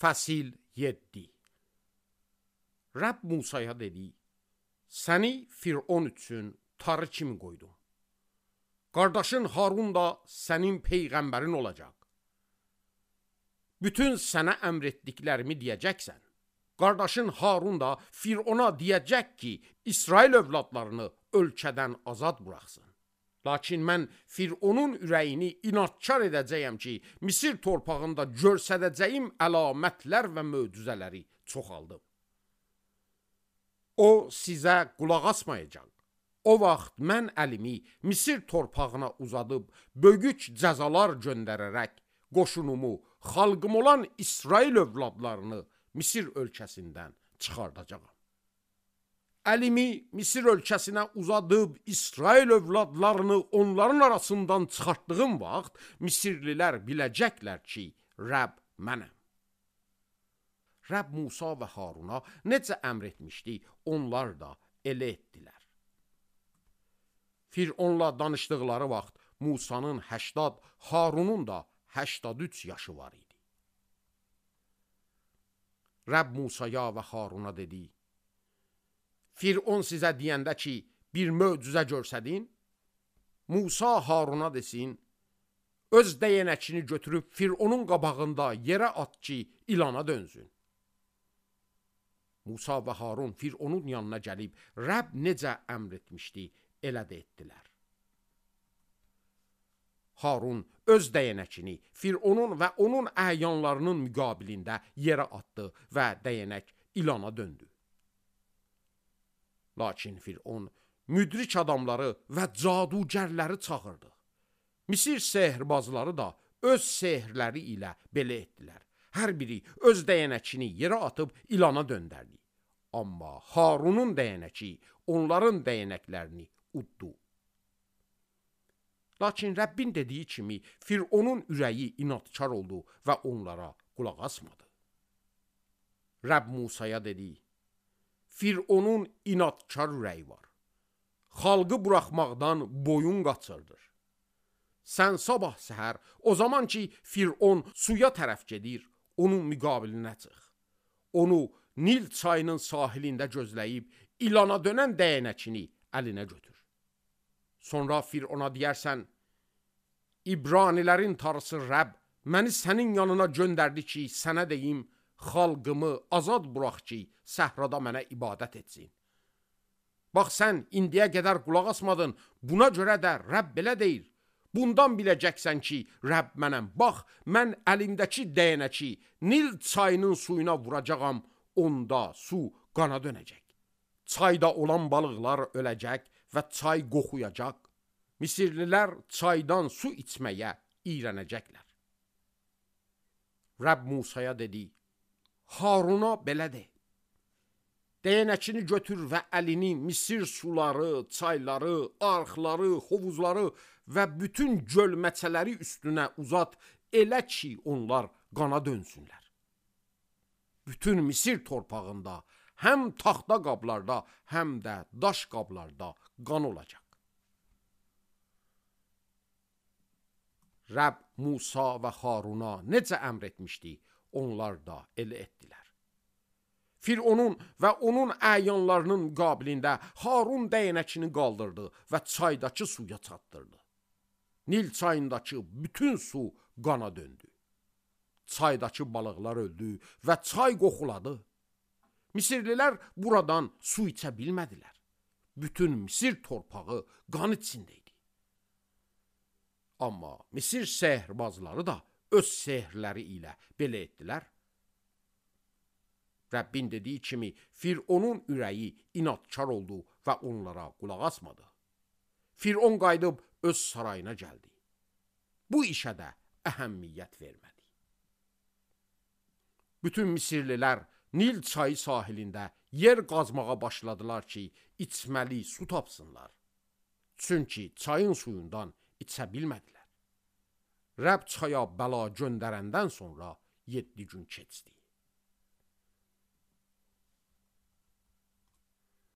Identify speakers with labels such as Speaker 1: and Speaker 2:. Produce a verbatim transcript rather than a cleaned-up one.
Speaker 1: Fəsil yeddi. Rəbb Musaya dedi, səni Firon üçün tarı kimi qoydum. Qardaşın Harun da sənin peyğəmbərin olacaq. Bütün sənə əmr etdiklərimi deyəcəksən. Qardaşın Harun da Firona deyəcək ki, İsrail övladlarını ölkədən azad buraxsın. Lakin mən Fironun ürəyini inadkar edəcəyəm ki, Misir torpağında görsədəcəyim əlamətlər və möcüzələri çoxaldım. O sizə qulaq asmayacaq. O vaxt mən əlimi Misir torpağına uzadıb, böyük cəzalar göndərərək qoşunumu, xalqım olan İsrail övladlarını Misir ölkəsindən çıxardacağam. Əlimi Misir ölkəsinə uzadıb, İsrail övladlarını onların arasından çıxartdığım vaxt, Misirlilər biləcəklər ki, Rəbb mənəm. Rəbb Musa və Haruna necə əmr etmişdi, onlar da elə etdilər. Fironla danışdıqları vaxt Musanın həştad, Harunun da həştad üç yaşı var idi. Rəbb Musaya və Haruna dedi, Firon sizə deyəndə ki, bir möcüzə görsədin, Musa Haruna desin, öz dəyənəkini götürüb Fironun qabağında yerə at ki, ilana dönsün. Musa və Harun Fironun yanına gəlib, Rəbb necə əmr etmişdi, elə də etdilər. Harun öz dəyənəkini Fironun və onun əyanlarının müqabilində yerə atdı və dəyənək ilana döndü. Lakin Firon müdrik adamları və cadugərləri çağırdı. Misir sehrbazları da öz sehrləri ilə belə etdilər. Hər biri öz dəyənəkini yerə atıb ilana döndərdi. Amma Harunun dəyənəki onların dəyənəklərini uddu. Lakin Rəbbin dediyi kimi Fironun ürəyi inadkar oldu və onlara qulaq asmadı. Rəbb Musaya dedi, Fironun inadkar ürəyi var. Xalqı buraxmaqdan boyun qaçırdır. Sən sabah səhər, o zaman ki Firon suya tərəf gedir, onun müqabilinə çıx. Onu Nil çayının sahilində gözləyib, ilana dönən dəyənəkini əlinə götür. Sonra Firona deyərsən, İbranilərin tarısı Rəbb məni sənin yanına göndərdi ki, sənə deyim, xalqımı azad burax ki, səhrada mənə ibadət etsin. Bax, sən indiyə qədər qulaq asmadın, buna görə də Rəbb belə deyir. Bundan biləcəksən ki, Rəbb mənəm. Bax, mən əlimdəki dəyənəki Nil çayının suyuna vuracağam, onda su qana dönəcək. Çayda olan balıqlar öləcək və çay qoxuyacaq. Misirlilər çaydan su içməyə iyrənəcəklər. Rəbb Musaya dedi, Haruna belə de. Dəyənəkini götür və əlini Misir suları, çayları, arxları, hovuzları və bütün gölməçələri üstünə uzat, elə ki onlar qana dönsünlər. Bütün Misir torpağında, həm taxta qablarda, həm də daş qablarda qan olacaq. Rəbb Musa və Haruna necə əmr etmişdi, onlar da elə etdilər. Fironun və onun əyanlarının müqabilində Harun dəyənəkini qaldırdı və çaydakı suya çatdırdı. Nil çayındakı bütün su qana döndü. Çaydakı balıqlar öldü və çay qoxuladı. Misirlilər buradan su içə bilmədilər. Bütün Misir torpağı qan içində idi. Amma Misir sehrbazları da öz sehrləri ilə belə etdilər. Rəbbin dediyi kimi Fironun ürəyi inadkar oldu və onlara qulaq asmadı. Firon qayıdıb öz sarayına gəldi. Bu işə də əhəmiyyət vermədi. Bütün Misirlilər Nil çayı sahilində yer qazmağa başladılar ki, içməli su tapsınlar. Çünki çayın suyundan içə bilmədilər. Rəbb çaya bəla göndərəndən sonra yeddi gün keçdi.